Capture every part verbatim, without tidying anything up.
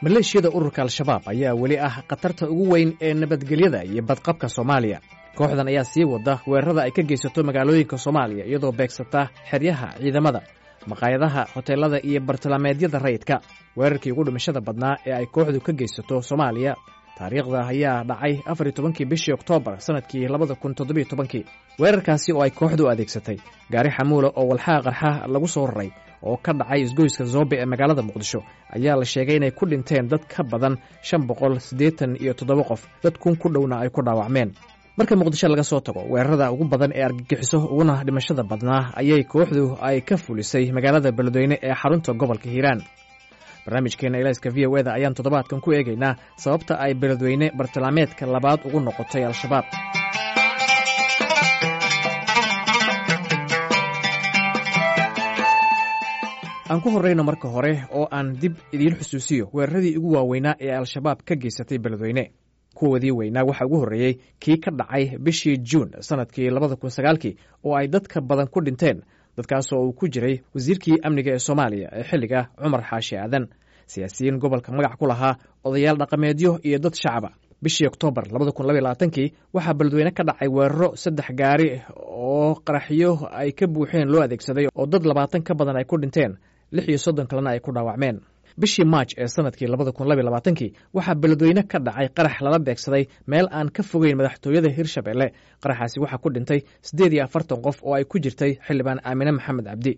Maleeshiyada ururka Al-Shabaab ayaa weli ah khatarta ugu weyn ee nabadgelyada iyo badqabka Soomaaliya. Kooxdan ayaa sii wada weerarada ay ka geysato magaalooyinka Soomaaliya, iyadoo beegsata xeryaha ciidamada, maqaayadaha, hoteelada iyo bartilmaameedyada rayidka. Weerarkii ugu dhimashada badnaa ee ay kooxdu ka geysato Soomaaliya taariikhda ayaa dhacay afar iyo tobankii bishii Oktoobar sanadkii labada kun toddobiyo tobankii. Weerarkaasi oo ay kooxdu adeegsatay gaari xamuula oo walxaha qarxa lagu soo raray oo ka dhacay isgoyska Zoobe ee magaalada Muqdisho ayaa la sheegay inay ku dhinteen dad ka badan shan boqol siddeetan iyo toddoba qof, dad kun ku dhowna ay ku dhaawacmeen. Marka Muqdisho laga soo tago, weerarada ugu badan ee argagixiso uguna dhimashada badnaa ayay kooxdu ay ka fulisay magaalada Beledweyne ee xarunta gobolka Hiiraan. Barnaamijkeena Ilayska V O E da ayaan toddobaadkan ku eegaynaa sababta ay Beledweyne bartilmaameedka labaad ugu noqotay Al-Shabaab. Aan ku horreyno marka hore oo aan dib idiin xusuusiyo weeraradii ugu waaweynaa ee Al-Shabaab ka geysatay Beledweyne. Kuwoodii weynaa waxaa ugu horreeyey kii ka dhacay bishii Juun sanadkii labada kun sagaalkii oo ay dadka badan ku dhinteen, dadkaasoo uu ku jiray wasiirkii amniga ee Soomaaliya ee xilliga, Cumar Xaashi Aadan, siyaasiyiin gobolka magac ku lahaa, odayaal dhaqameedyo iyo dad shacaba. Bishii Oktoobar labada kun laba iyo labaatankii waxaa Beledweyne ka dhacay weeraro saddex gaari oo qaraxyo ay ka buuxeen loo adeegsaday oo dad labaatan ka badan ay ku dhinteen, lix iyo soddon kalena ay ku dhaawacmeen. Bishii Maaj ee sanadkii labada kun laba iyo labaatankii waxaa Beledweyne ka dhacay qarax lala beegsaday meel aan ka fogeyn madaxtooyada Hirshabelle. Qaraxaasi waxaa ku dhintay siddeed iyo afartan qof oo ay ku jirtay xildhibaan Aamine Maxamed Cabdi.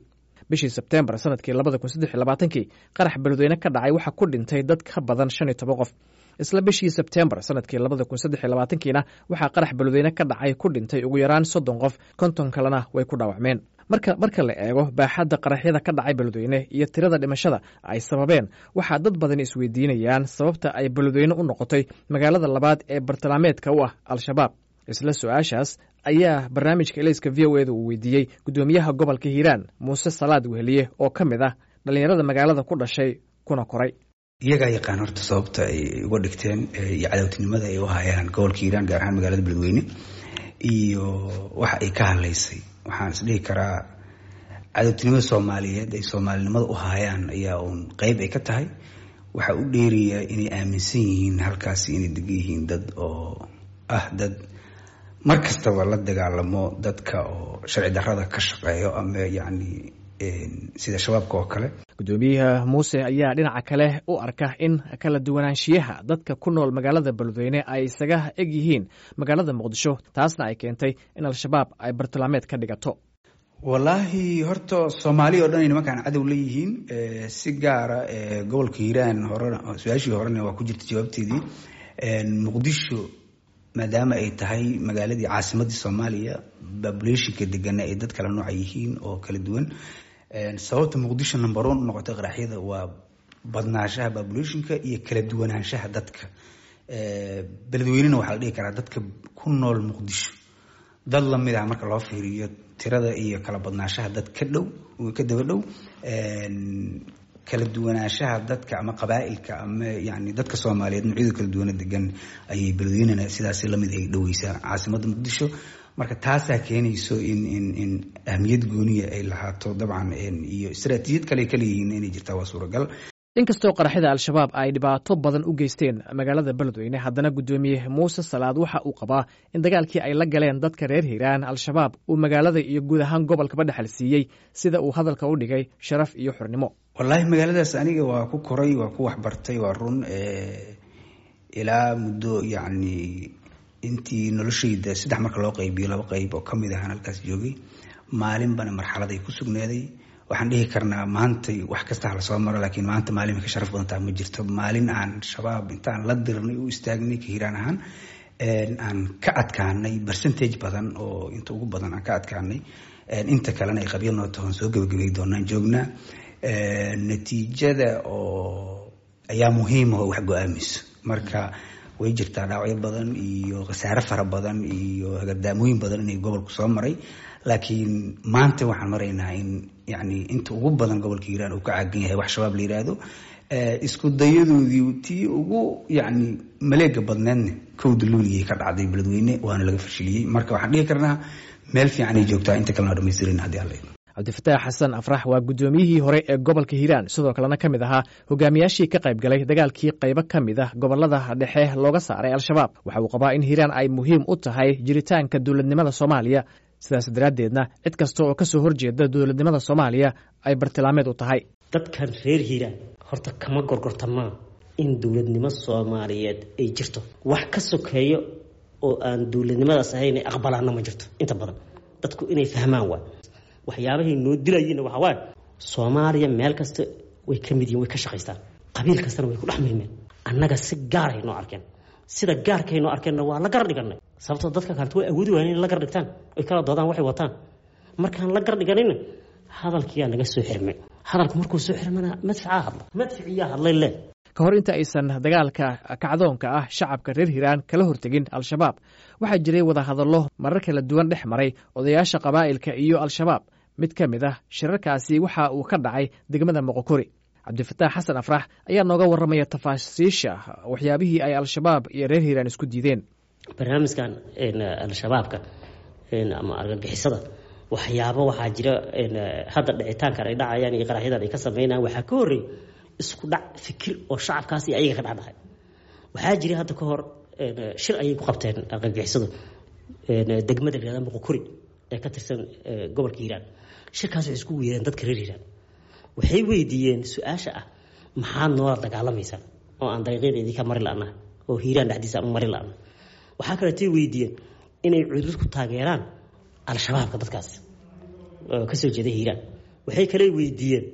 Bishii Sebteembar sanadkii labada kun saddex iyo labaatankii qarax Beledweyne ka dhacay waxaa ku dhintay dad ka badan shan iyo toban qof. Isla bishii Sebteembar sanadkii labada kun saddex iyo labaatankiina waxaa qarax Beledweyne ka dhacay ku dhintay ugu yaraan soddon qof, konton kalena way ku dhaawacmeen. Marka marka la eego baaxadda qaraxyada ka dhacay Beledweyne iyo tirada dhimashada ay sababeen, waxaa dad badani isweydiinayaan sababta ay Beledweyne u noqotay magaalada labaad ee bartilmaameedka u ah Al-Shabaab. Isla su-aashaas ayaa barnaamijka Ilayska V O E da uu weydiiyey guddoomiyaha gobolka Hiiraan, Muuse Salaad Weheliye, oo ka mid ah dhallinyarada magaalada ku dhashay kuna koray. Iyagaa yaqaan horta sababta ay uga dhigteen iyo cadowtinimada ay u hayaan gobolka Hiiraan, gaar ahaan magaalada Beledweyne, iyo waxa ay ka hadlaysay. Waxaan isdhihi karaa cadowtinimada Soomaaliyeed ay soomaalinimada u hayaan ayaa uun qeyb ay ka tahay. Waxaa u dheeraya inay aaminsan yihiin halkaasi inay degan yihiin dad oo ah dad mar kastaba la dagaalamo dadka oo sharci darrada ka shaqeeyo ama yacni sida Shabaabka oo kale. Guddoomiyaha Muuse ayaa dhinaca kale u arka in kala duwanaanshiyaha dadka ku nool magaalada Beledweyne ay isaga eg yihiin magaalada Muqdisho, taasna ay keentay in Al-Shabaab ay bartilmaameed ka dhigato. Wallaahi horta Soomaali oo dhan ay nimankaan cadow leeyihiin, si gaara gobolka Hiiraan. Horena su-aashii horena waa ku jirta jawaabteedii. Muqdisho maadaama ay tahay magaaladii caasimadii Soomaaliya, populationka degana ay dad kala nooca yihiin oo kala duwan. Sababta Muqdisho number one u noqotay qaraxyada waa badnaanshaha populationka iyo kala duwanaanshaha dadka. Beledweynena waxaa la dhihi karaa dadka ku nool Muqdisho dad lamid ah marka loo fiiriyo tirada iyo kala badnaanshaha dad ka dhow, ka daba dhow. Kala duwanaanshaha dadka ama qabaa'ilka ama yani dadka Soomaaliyeed noocyada kala duwana degan ayay Beledweynena sidaasi lamid ay dhoweysaa caasimadda Muqdisho. Marka taasaa keenayso in in in ahmiyad gooniya ay lahaato dabcan, iyo istaraatiijiyad kale ay kaleeyihiin inay jirtaa waa suuragal. Inkastoo qaraxyada Al-Shabaab ay dhibaato badan u geysteen magaalada Beledweyne, haddana guddoomiye Muuse Salaad waxa uu qabaa in dagaalkii ay la galeen dadka reer Hiiraan Al-Shabaab uu magaalada iyo guud ahaan gobolkaba dhexal siiyey, sida uu hadalka u dhigay, sharaf iyo xornimo. Wallaahi magaaladaas aniga waa ku koray, waa ku waxbartay, waa run. Ilaa muddo yacni intii noloshayda saddex marka loo qaybiyo laba qayb oo kamid ahaan halkaas joogay, maalinbana marxaladay ku sugnaaday. Waxaan dhihi karnaa maantay wax kasta hala soo maro, laakiin maanta maalin ka sharaf badan taa ma jirto. Maalin aan Shabaab intaan la dirnay u istaagnay ka Hiiraan ahaan aan ka adkaanay percentage badan oo inta ugu badan aan ka adkaanay, inta kalena ay qabyo noo tahoon soo gebagabay doonaan joognaa. Natiijada oo ayaa muhiima oo wax go-aamayso. Marka way jirtaa dhaawacyo badan iyo khasaare fara badan iyo hagardaamooyin badan inay gobolku soo maray, laakiin maanta waxaan maraynaa in yani inta ugu badan gobolka Hiiraan uu ka caagan yahay wax Shabaab la yiraahdo. Isku dayadoodii tii ugu yacni maleega badneedna kowda Luuliyay ka dhacday Beledweyne, waana laga fashiliyey. Marka waxaan dhihi karnaa meel fiican ay joogtaa, inta kalena dhamaystirin haddii Alla. Cabdifataax Xasan Afrax waa guddoomiyihii hore ee gobolka Hiiraan, sidoo kalena ka mid ahaa hogaamiyaashii ka qayb galay dagaalkii qaybo ka mid ah gobolada dhexe looga saaray Al-Shabaab. Waxa uu qabaa in Hiiraan ay muhiim u tahay jiritaanka dowladnimada Soomaaliya, sidaas daraaddeedna cid kasta oo ka soo horjeeda dowladnimada Soomaaliya ay bartilmaameed u tahay. Dadkan reer Hiiraan horta kama gorgortamaan in dowladnimo Soomaaliyeed ay jirto. Wax ka sokeeyo oo aan dowladnimadaas ahayn ay aqbalaana ma jirto. Inta badan dadku inay fahmaan waa waxyaabahay noo dilayeenna waxaa waaye Soomaaliya meel kasta way ka mid yihiin, way ka shaqaystaan, qabiil kastana way ku dhex milmeen. Annaga si gaaray noo arkeen, sida gaarkay noo arkeenna waa la gar dhiganay, sababtoo dadka kaleta way awoodi waayeen inay la gar dhigtaan oy kala doodaan waxay wataan. Markaan la gar dhiganayna hadalkiyaa naga soo xirmay. Hadalku markuu soo xirmana madficaa hadla, madficiyaa hadlay le. Ka hor inta aysan dagaalka kacdoonka ah shacabka reer Hiiraan kala hortegin Al-Shabaab, waxaa jiray wadahadallo marar kala duwan dhex maray odayaasha qabaa'ilka iyo Al-Shabaab. Mid ka mid ah shirarkaasi waxa uu ka dhacay degmada Moqokori. Cabdifataax Xasan Afrax ayaa nooga warramaya tafaasiisha waxyaabihii ay Al-Shabaab iyo reer Hiiraan isku diideen. Barnaamijkan Al-Shabaabka ama argagixisada, waxyaabo waxaa jira hadda dhicitaankan ay dhacayaan iyo qaraxyadan ay ka sameynayaan, waxaa ka horreeyay isku dhac fikir oo shacabkaas iyo ayaga ka dhexdhacay. Waxaa jiray hadda ka hor shir ayay ku qabteen argagixisadu degmada la yihahda Moqokori ee ka tirsan gobolka Hiiraan. Shirkaas waxay isku weereen dadka reer Hiiraan, waxay weydiiyeen su-aasha ah maxaad noola dagaalamaysaan oo aan dariiqyada idinka mari la'naha oo Hiiraan dhexdiisa aan u mari la'naha. Waxaa kaleetay weydiiyeen inay cudud ku taageeraan Al-Shabaabka dadkaas oo kasoo jeeda Hiiraan. Waxay kale weydiiyeen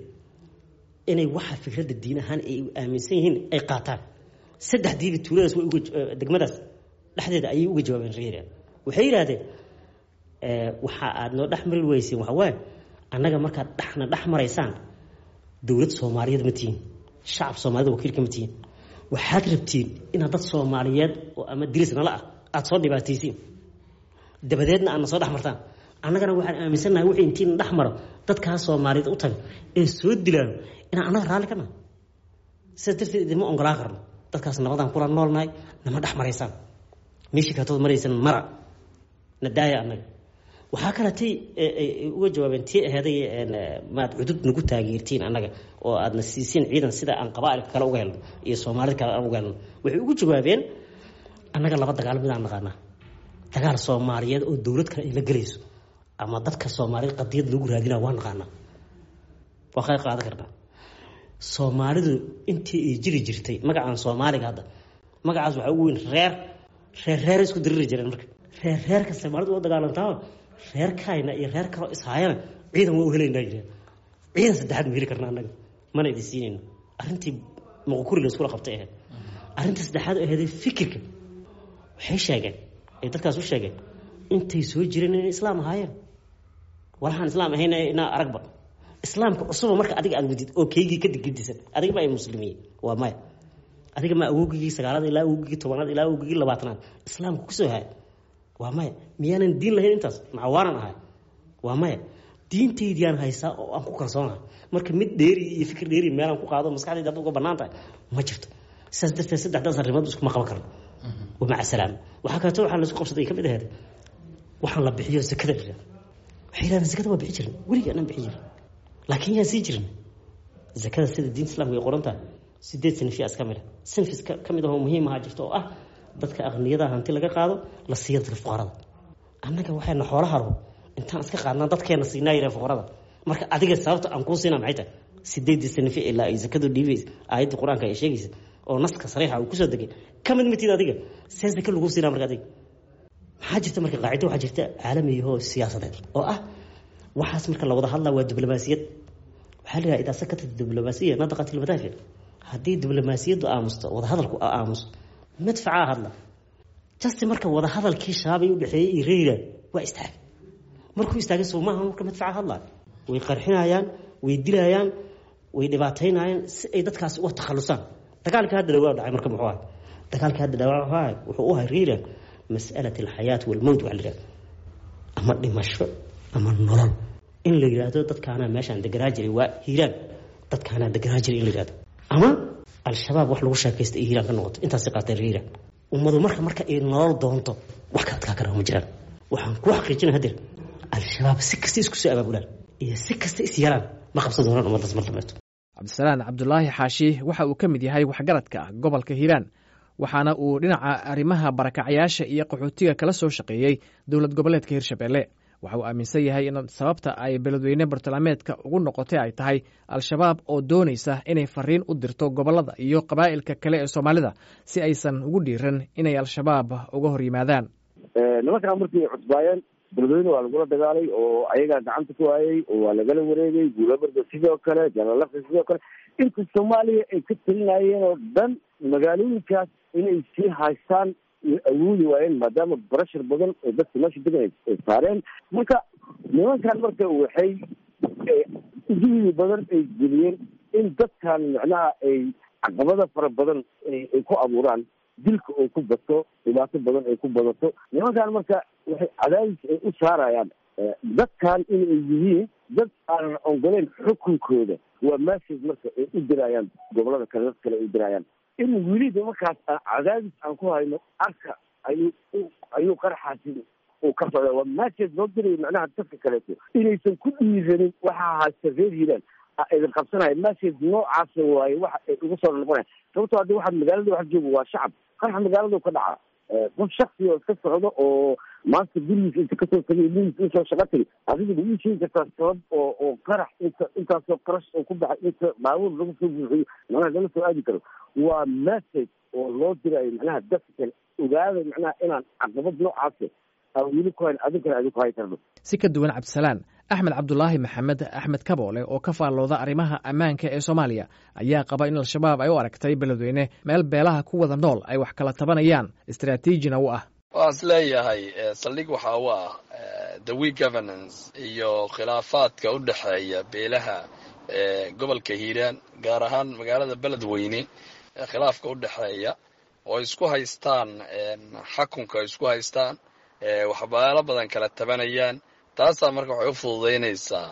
inay waxa fikradda diin ahaan ay aaminsan yihiin ay qaataan. Saddexdiiba tuuladaas way uga, degmadaas dhexdeeda ayay uga jawaabeen reer Hiiraan. Waxay yidhahdeen waxa aad noo dhex mari weyseen waxa waaye annaga markaad dhexna dhex maraysaan dowlad Soomaaliyeed ma tihiin, shacab Soomaaliyed wakiilka ma tihiin, waxaad rabtiin inaad dad Soomaaliyeed oo ama diris nala ah aada soo dhibaataysiin, dabadeedna aadna soo dhex martaan. Annagana waxaan aaminsannahay wixii intiina dhex maro dadkaas Soomaaliyeed u taga ee soo dilaano inaan annaga raalli ka nahay. Sidaas darteed idinma ongolaan karno, dadkaas nabadaan kula noolnahay, nama dhex maraysaan, meeshii kaatood maraysan mara na daaya annaga. Waxaa kale tay uga jawaabeen tii aheeday maad cudud nagu taageertiin annaga oo aadna siisiin ciidan sida aan qabaa'ilka kale uga helno iyo Soomaalida kale aan uga helno. Waxay ugu jawaabeen annaga laba dagaal midaan naqaanaa, dagaal Soomaaliyeed oo dowlad kale ay la gelayso ama dadka Soomaaliyeed qadiyad lagu raadinaa waa naqaanaa, waa qayb qaadan karnaa. Soomaalidu intii ay jiri jirtay magacaan Soomaaliga hadda magacaas waxaa ugu weyn reer reer reer isku diriri jireen. Marka reer reerka Soomaalidu waa dagaalantaa, reerkayna iyo reer kaloo ishaayana ciidan waa u helaynaa jireen, ciidan saddexaad ma heli karna annaga, mana idin siinayno. Arrintii Moqokuri la iskula qabtay ahayd. Arrinta saddexaad oo ahayd fikirka, waxay sheegeen ay dadkaas u sheegeen intay soo jireen inay islaam ahaayeen, walaxaan islaam ahayn inaa aragba islaamka cusuba. Marka adiga aad wadid oo keygii ka digdisan, adiga ma ay muslimiin waa maya, adiga ma awowgigii sagaalaad ilaa awowgigii tobanaad ilaa awowgigii labaatanaad islaamka kusoo haya waa maya, miyaanan diin lahayn intaas macawaanan ahay waa maya, diintaydiyaan haysaa oo aan ku kalsoonahay. Marka mid dheeri iyo fikir dheeri meelaan ku qaado maskaxdayda hadda uga bannaan tahay ma jirto. Sidaas darteed saddexdaas arrimood iskuma qaban karno, wamaca salaama. Waxaa kaleeto waxaa laisku qabsaday ka mid ahayd waxaan la bixiyo zakada la yihahdo. Waxay yidhahdeen zakada waa bixi jirin, weligii anaan bixi jirin, laakiin yaan sii jirin zakada sida diinta islaamka ay qoran tahay. Sideed sinfiya iska mid ah, sinfis ka mid ahoo muhiim ahaa jirta oo ah dadka aqniyada hanti laga qaado la siiyo dadka fuqarada. Annaga waxayna xoolaha rabo intaan iska qaadnaa dadkeena siinaa yirah fuqarada. Marka adiga sababta aan kuu siinaa maxay tahay? Sideedii sinfi ilaa ay zakadu dhiibaysa aayadda qur-aanka ay sheegaysa oo naska sariixa uu kusoo degay ka mid mitid adiga, see zaka lagu siinaa marka adiga? Maxaa jirta marka qaacido waxaa jirta caalamiyahoo siyaasadeed oo ah waxaas marka la wada hadlaa waa diblomaasiyad. Waxaa la yidhaha idaa sakatat diblomaasiya nadaqat ilmadaafic. Haddii diblomaasiyaddu aamusto, wadahadalku aamuso, madfacaa hadla. Just marka wadahadalkii Shabaab ay u dhexeeyey iyo reer Hiiraan waa istaagay. Markuu istaagay soo maaha marka madfaca hadlaa, way qarxinayaan, way dilayaan, way dhibaataynayaan si ay dadkaas uga takhalusaan. Dagaalka hadda dhawaa dhacay marka muxuu ahay? Dagaalka hadda dhawaa wuxuu ahay wuxuu u ahay reer Hiiraan mas'alat alxayaat walmowt, waxa la yidhahdo ama dhimasho ama nolol. In la yidhaahdo dadkaanaa meeshaan deganaa jiray waa Hiiraan, dadkaanaa deganaa jiray in la yidhahdo ama Al-Shabaab wax lagu sheekaysta iyo Hiiraan ka noqoto, intaasi qaateen reer Hiiraan. Ummadu marka marka ay nolol doonto wax ka adkaa kara ma jiraan. Waxaan ku xaqiijinaa hadeer Al-Shabaab si kasta isku soo abaabulaan, Iyo si kasta is yeelaan, ma qabsan doonaan ummaddaas mar dambeeto. Cabdisalaan Cabdulaahi Xaashi waxa uu ka mid yahay waxgaradka gobolka Hiiraan, waxaana uu dhinaca arrimaha barakacyaasha iyo qaxootiga kala soo shaqeeyey dowlad goboleedka Hirshabelle. Waxa uu aaminsan yahay in sababta ay Beledweyne bartilmaameedka ugu noqotay ay tahay Al-Shabaab oo doonaysa inay fariin u dirto gobollada iyo qabaa'ilka kale ee Soomaalida si aysan ugu dhiiran inay Al-Shabaab uga hor yimaadaan. Nimankaan markii ay cusbaayeen, Beledweyne waa lagula dagaalay oo ayagaa gacanta ku hayay oo waa lagala wareegay. Guulabarda sidoo kale, Jalalaqi sidoo kale, inta Soomaaliya ay ka talinayeen oo dhan magaalooyinkaas inay sii haystaan way awoodi waayeen, maadaama barashar badan oo dadka meesha degan ay saareen. Marka nimankan marka waxay juhdi badan ay geliyeen in dadkan macnaha ay caqabada fara badan ay ku abuuraan, dilka oo ku bato, dhibaato badan ay ku badato. Nimankan marka waxay cadaadis ay u saarayaan dadkan inay yihiin dad aanan ogoleyn xukunkooda. Waa message marka ay u dirayaan gobolada kale, dad kale ay u dirayaan in weliba markaas cadaadis aan ku hayno. Arka ayuu ayuu qaraxaasi uu ka socda. Waa message loo dirayo macnaha dadka kaleeto inaysan ku dhiiranin waxaa haysta reer Hiiraan idin qabsanaya. Message noocaasa waaye waxa ay uga soo noqonaya, sababtoo haddi waxaad magaalada wax joogo waa shacab. Qaraxa magaalada ka dhacaa, qof shaksi oo iska socdo oo maanta gurigiisa inta kasoo tagay gurigiisa usoo shaqa tagay, adiga ma ii sheegi kartaa sabab oo oo qarax inta intaasoo qarash oo ku baxay, inta baabuur lagu soo buuxiyo, macnaha lala soo aadi karo? Waa message oo loo dirayo macnaha dadka kale: ogaada macnaha inaan caqabad noocaasa aan weli ku hayn, adinkana adinku hay karno. Si ka duwan Cabdisalaan, Axmed Cabdulaahi Maxamed, Axmed Kaboole, oo ka faallooda arrimaha ammaanka ee Soomaaliya, ayaa qaba in Al-Shabaab ay u aragtay Beledweyne meel beelaha ku wada nool ay wax kala tabanayaan, istaraatiijina u ah. Waan is leeyahay saldhig waxa u ah the weak governance iyo khilaafaadka u dhexeeya beelaha gobolka Hiiraan, gaar ahaan magaalada Beledweyne, khilaafka u dhexeeya oo isku haystaan xakunka, isku haystaan, waxbaalo badan kala tabanayaan. Taasaa marka waxay u fududaynaysaa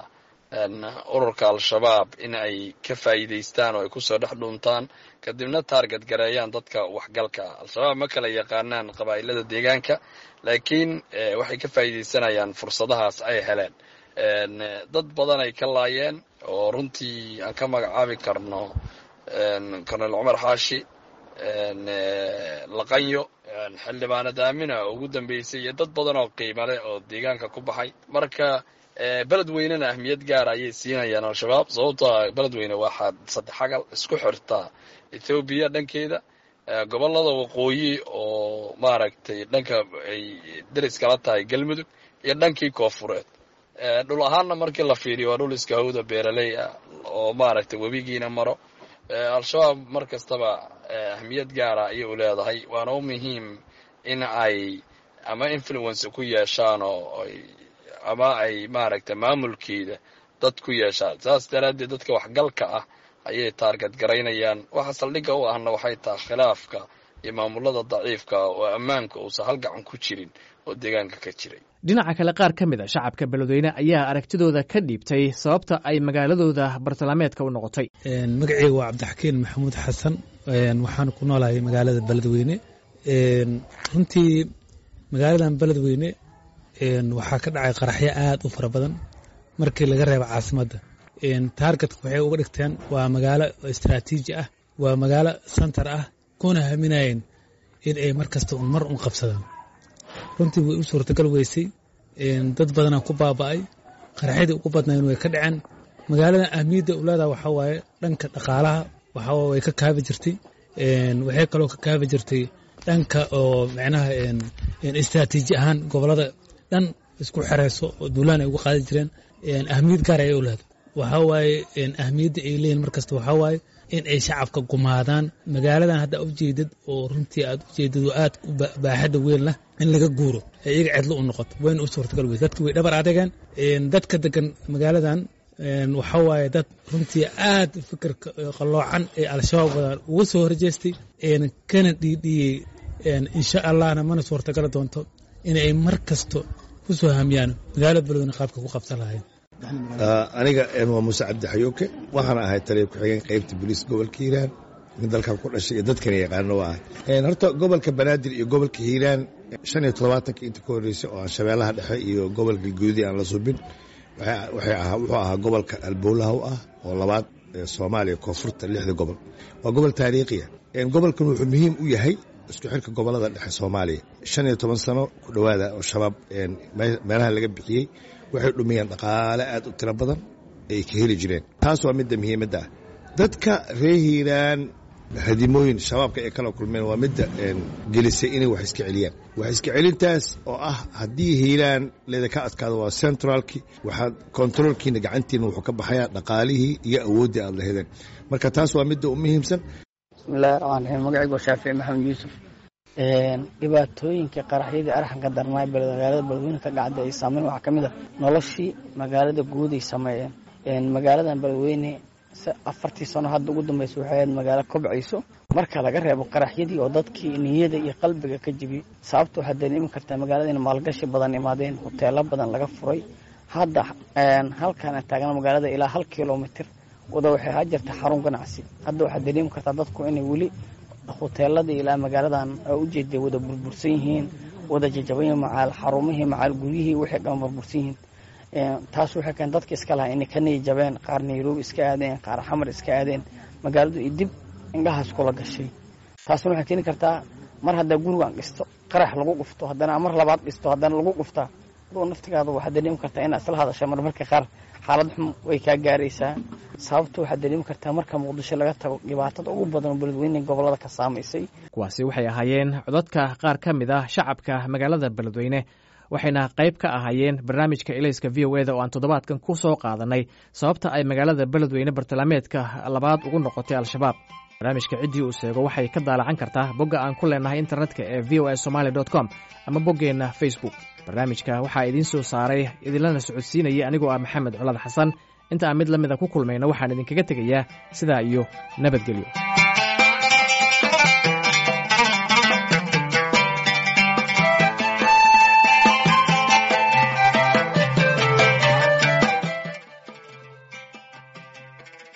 ururka Al-Shabaab in ay ka faa'iidaystaan oo ay kusoo dhex dhuuntaan, kadibna target gareeyaan dadka waxgalka. Al-Shabaab ma kala yaqaanaan qabaa'ilada deegaanka, laakiin waxay ka faa'iidaysanayaan fursadahaas ay heleen. Dad badan ay ka laayeen oo runtii aan ka magacaabi karno Colonel Cumar Xaashi, Laqanyo, xildhibaanad Aamina oo ugu dambeysay, iyo dad badan oo qiimo leh oo deegaanka ku baxay. Marka Beledweynena ahmiyad gaara ayay siinayaan Al-Shabaab, sababtoo Beledweyne waxaa saddex xagal isku xirtaa Ethoobiya dhankeeda, gobolada waqooyi oo maaragtay dhanka ay deris kala tahay Galmudug, iyo dhankii koofureed. Dhul ahaanna markii la fiiriyo waa dhul iska hawda, beeraley ah oo maaragtay webigiina maro. Al-Shabaab mar kastaba ahmiyad gaara ayay u leedahay, waana u muhiim in ay ama influence ku yeeshaan oo ama ay maaragtay maamulkeeda dad ku yeeshaan. Saas daraaddeed dadka waxgalka ah ayay target garaynayaan. Waxa saldhigga u ahna waxay tahay khilaafka iyo maamulada daciifka oo ammaanka uusan hal gacan ku jirin oo deegaanka ka jiray. Dhinaca kale, qaar ka mid a shacabka Beledweyne ayaa aragtidooda ka dhiibtay sababta ay magaaladooda bartilmaameedka u noqotay. Magaceyga waa Cabdixakiin Maxamuud Xasan, waxaan ku noolahay magaalada Beledweyne. Runtii magaaladan Beledweyne waxaa ka dhacay qaraxyo aad u fara badan markii laga reebo caasimadda. Targetka waxay uga dhigteen waa magaalo istaraatiiji ah, waa magaalo center ah, kuna haminayeen in ay mar kasta un mar un qabsadaan. Runtii way u suurtagal weysay, dad badanaa ku baaba'ay, qaraxyadii ugu badnayn way ka dhaceen. Magaalada ahmiyadda u leedaha waxaa waaye dhanka dhaqaalaha, waxaa way ka kaabi jirtay. Waxay kaloo ka kaabi jirtay dhanka oo macnaha istaraatiiji ahaan gobolada dhan isku xereyso oo duulaan ay uga qaadi jireen. Ahmiyad gaar ayay u leedahay. Waxaa waaye ahmiyadda ay leeyihin markasta waxaa waaye in ay shacabka gumaadaan. Magaaladan hadda ujeedad oo runtii aad ujeedad oo aad u baaxadda weyn lah in laga guuro ee iyaga cidlo u noqoto, wayna u suurtagal weyse. Dadki way dhabar adegeen. Dadka degan magaaladan waxaa waaye dad runtii aad fikirka qalloocan ee Al-Shabaab wadaan uga soo horjeestay kana dhiidhiyey. Insha Allahna mana suurtagali doonto in ay mar kasto ku soo hamiyaan magaalada Beledweyne qaabka ku qabsan lahayn. Aniga waa Muuse Cabdi Xayuuke, waxaan ahay taliya ku-xigeen qaybta booliis gobolka Hiiraan. Nin dalkan ku dhashay iyo dadkana yaqaano waa ahay. Horta gobolka Banaadir iyo gobolka Hiiraan shan iyo todobaatanka inta ka horreysay oo aan Shabeellaha Dhexe iyo gobolka Galguudi aan la subin, Wuxuu ahaa gobolka alboolaha u ah oo labaad ee Soomaaliya, koonfurta lixda gobol. Waa gobol taariikhiya. Gobolkan wuxuu muhiim u yahay isku xirka gobolada dhexe Soomaaliya. Shan iyo toban sano ku dhowaada oo Shabaab meelaha laga bixiyey, waxay dhumiyeen dhaqaale aad u tiro badan ay ka heli jireen. Taas waa midda muhiimadda ah. Dadka reer Hiiraan hadimooyin Shabaabka ay kala kulmeen waa midda gelisay inay wax iska celiyaan. Wax iska celintaas oo ah, haddii Hiiraan leeda ka adkaado, waa centralki, waxaad controlkiina gacantiina wuxuu ka baxayaa dhaqaalihii iyo awooddii aad lahedeen. Marka taas waa midda u muhiimsan. Bismillahi raxmaan raxiim. Magacaygu waa Shaafici Maxamed Yuusuf. Dhibaatooyinka qaraxyadii arxanka darnaa magaalada Beledweyne ka dhacday ay saameyn waxaa ka mid a noloshii magaalada guud ay sameeyeen. Magaaladan Beledweyne afartii sano hadda ugu dambaysa waxay ahayd magaalo kobcayso, marka laga reebo qaraxyadii oo dadkii niyada iyo qalbiga ka jibiyey. Sababta waxaad dareemi kartaa magaalada in maalgashi badan imaadeen, hoteelo badan laga furay. Hadda halkaan aan taagna magaalada ilaa hal kilomitir wada waxay ahaa jirta xarun ganacsi. Hadda waxaad dareemi kartaa dadku inay weli hoteeladii ilaa magaaladan ujeeday wada burbursan yihiin, wada jajaban yihiin, macaal xarumihii, macaal guryihii, waxay dhan burbursan yihiin. Taas waxay keen dadka iska lahaa inay ka niya jabeen, qaar Nairobi iska aadeen, qaar Xamar iska aadeen, magaaladu iyo dib indhahaas kula gashay. Taasna waxay keeni kartaa mar haddaa gurigan dhisto qarax lagu dhufto, haddana mar labaad dhisto, haddana lagu dhuftaa, adoo naftigaada waxaad dareemi kartaa inaad isla hadasha. Marmarka qaar xaalad xun way kaa gaaraysaa. Sababta waxaad dareemi kartaa marka Muqdisho laga tago dhibaatada ugu badan oo Beledweyne gobolada ka saamaysay. Kuwaasi waxay ahaayeen codadka qaar ka mid ah shacabka magaalada Beledweyne, waxayna qayb ka ahaayeen barnaamijka Ilayska V O E da oo aan toddobaadkan ku soo qaadanay sababta ay magaalada Beledweyne bartilmaameedka labaad ugu noqotay Al-Shabaab. Barnaamijka ciddii uu seego waxay ka daalacan kartaa bogga aan ku leenahay internetka ee V O A Somaly com ama boggeenna Facebook. Barnaamijka waxaa idiin soo saaray, idinlana socodsiinaya anigoo ah Maxamed Colaad Xasan. Inta aan mid la mida ku kulmayno, waxaan idinkaga tegayaa sidaa iyo nabadgelyo.